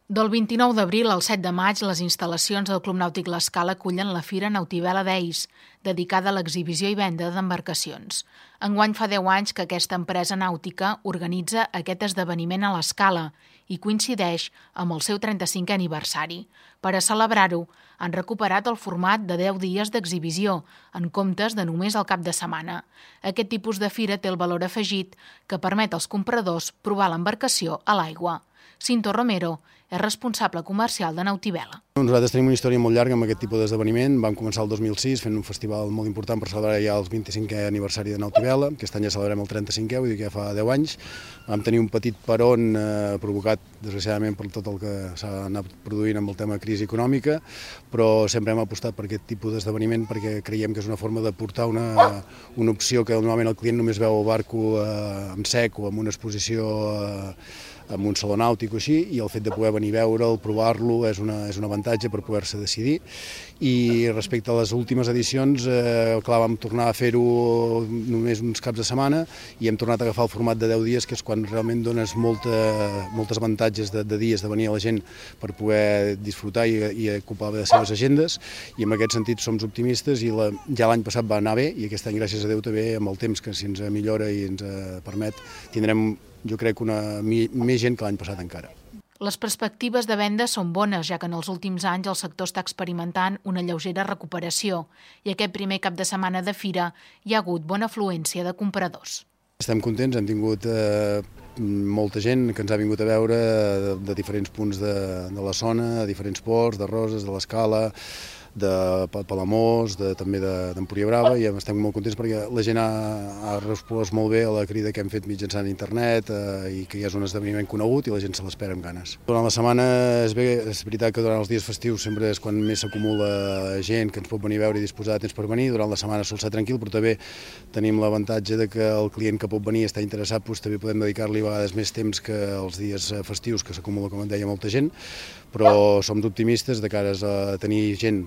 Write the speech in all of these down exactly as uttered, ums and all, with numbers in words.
Del vint-i-nou d'abril al set de maig, les instal·lacions del Club Nàutic L'Escala acullen la Fira Nautivela Days, dedicada a l'exhibició i venda d'embarcacions. Enguany fa deu anys que aquesta empresa nàutica organitza aquest esdeveniment a l'Escala i coincideix amb el seu trenta-cinquè aniversari. Per a celebrar-ho, han recuperat el format de deu dies d'exhibició, en comptes de només el cap de setmana. Aquest tipus de fira té el valor afegit que permet als compradors provar l'embarcació a l'aigua. Cinto Romero és responsable comercial de Nautivela. Nosaltres tenim una història molt llarga amb aquest tipus d'esdeveniment. Vam començar el dos mil sis fent un festival molt important per celebrar ja el vint-i-cinquè aniversari de Nautivela. Aquest any ja celebrem el trenta-cinquè, vull dir que ja fa deu anys. Vam tenir un petit peron eh, provocat, desgraciadament, per tot el que s'ha anat produint amb el tema crisi econòmica, però sempre hem apostat per aquest tipus d'esdeveniment perquè creiem que és una forma de portar una, una opció que normalment el client només veu el barco eh, en sec o amb una exposició eh, amb un saló nàutic o així, i el fet de poder venir a veure'l, provar-lo, és, una, és un avantatge per poder-se decidir. I respecte a les últimes edicions, eh, clar, vam tornar a fer-ho només uns caps de setmana i hem tornat a agafar el format de deu dies, que és quan realment dones molta, moltes avantatges de, de dies de venir a la gent per poder disfrutar i, i ocupar les seves agendes, i en aquest sentit som optimistes i la, ja l'any passat va anar bé i aquest any, gràcies a Déu, també amb el temps que si ens millora i ens permet, tindrem, jo crec, una, més gent que l'any passat encara. Les perspectives de venda són bones, ja que en els últims anys el sector està experimentant una lleugera recuperació i aquest primer cap de setmana de fira hi ha hagut bona afluència de compradors. Estem contents, hem tingut eh, molta gent que ens ha vingut a veure de, de diferents punts de, de la zona, de diferents ports, de Roses, de l'Escala, de Palamós, de, també d'Empúria Brava, i estem molt contents perquè la gent ha, ha respost molt bé a la crida que hem fet mitjançant internet eh, i que ja és un esdeveniment conegut i la gent se l'espera amb ganes. Durant la setmana és, bé, és veritat que durant els dies festius sempre és quan més s'acumula gent que ens pot venir a veure i disposar de temps per venir. Durant la setmana sol ser tranquil, però també tenim l'avantatge de que el client que pot venir està interessat, doncs també podem dedicar-li a vegades més temps que els dies festius, que s'acumula, com et deia, molta gent, però som optimistes de cara a tenir gent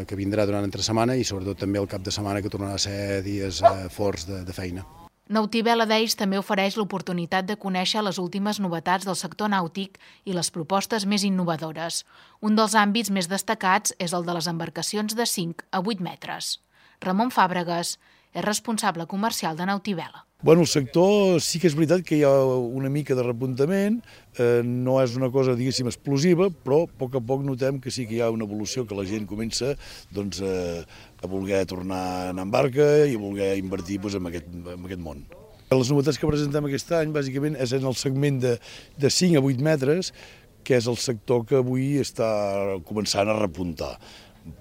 que vindrà durant entre setmana i sobretot també el cap de setmana, que tornarà a ser dies forts de, de feina. Nautivela Days també ofereix l'oportunitat de conèixer les últimes novetats del sector nàutic i les propostes més innovadores. Un dels àmbits més destacats és el de les embarcacions de cinc a vuit metres. Ramon Fàbregas és responsable comercial de Nautivela. Bueno, el sector sí que és veritat que hi ha una mica de repuntament, eh, no és una cosa, diguéssim, explosiva, però a poc a poc notem que sí que hi ha una evolució, que la gent comença doncs, eh, a voler tornar en barca i a voler invertir doncs, en, aquest, en aquest món. Les novetats que presentem aquest any, bàsicament, és en el segment de, de cinc a vuit metres, que és el sector que avui està començant a repuntar.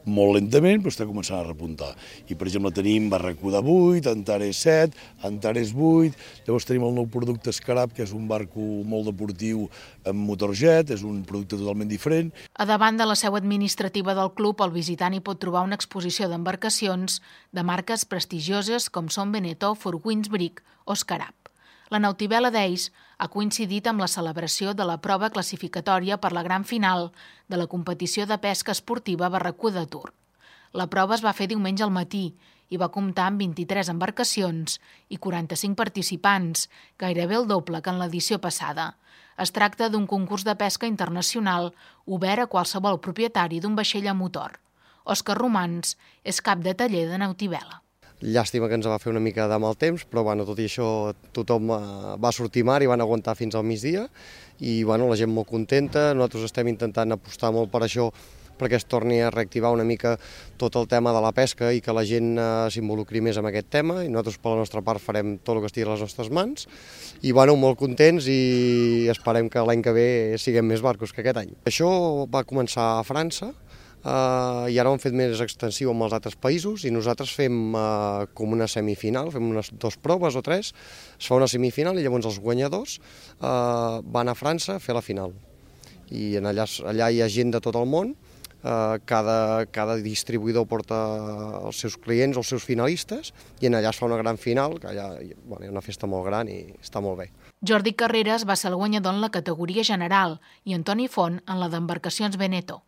Molt lentament, però està començant a repuntar. I, per exemple, tenim Barracuda de vuit, Antares set, Antares vuit, llavors tenim el nou producte Escarab, que és un barco molt deportiu amb motor jet, és un producte totalment diferent. A davant de la seu administrativa del club, el visitant hi pot trobar una exposició d'embarcacions de marques prestigioses com són Beneteau, Four Winds Brig o Escarab. La Nautivela Days ha coincidit amb la celebració de la prova classificatòria per la gran final de la competició de pesca esportiva Barracuda Tour. La prova es va fer diumenge al matí i va comptar amb vint-i-tres embarcacions i quaranta-cinc participants, gairebé el doble que en l'edició passada. Es tracta d'un concurs de pesca internacional obert a qualsevol propietari d'un vaixell a motor. Òscar Romans és cap de taller de Nautivela. Llàstima que ens va fer una mica de mal temps, però bueno, tot i això tothom va sortir mar i van aguantar fins al migdia i bueno, la gent molt contenta. Nosaltres estem intentant apostar molt per això, perquè es torni a reactivar una mica tot el tema de la pesca i que la gent s'involucri més en aquest tema, i nosaltres per la nostra part farem tot el que estigui a les nostres mans i bueno, molt contents i esperem que l'any que ve siguem més barcos que aquest any. Això va començar a França, Uh, i ara ho hem fet més extensiu amb els altres països i nosaltres fem uh, com una semifinal, fem unes dues proves o tres, es fa una semifinal i llavors els guanyadors uh, van a França a fer la final. I en allà, allà hi ha gent de tot el món, uh, cada, cada distribuïdor porta els seus clients, els seus finalistes, i en allà es fa una gran final, que allà bueno, hi ha una festa molt gran i està molt bé. Jordi Carreras va ser el guanyador en la categoria general i Antoni Font en la d'embarcacions Beneteau.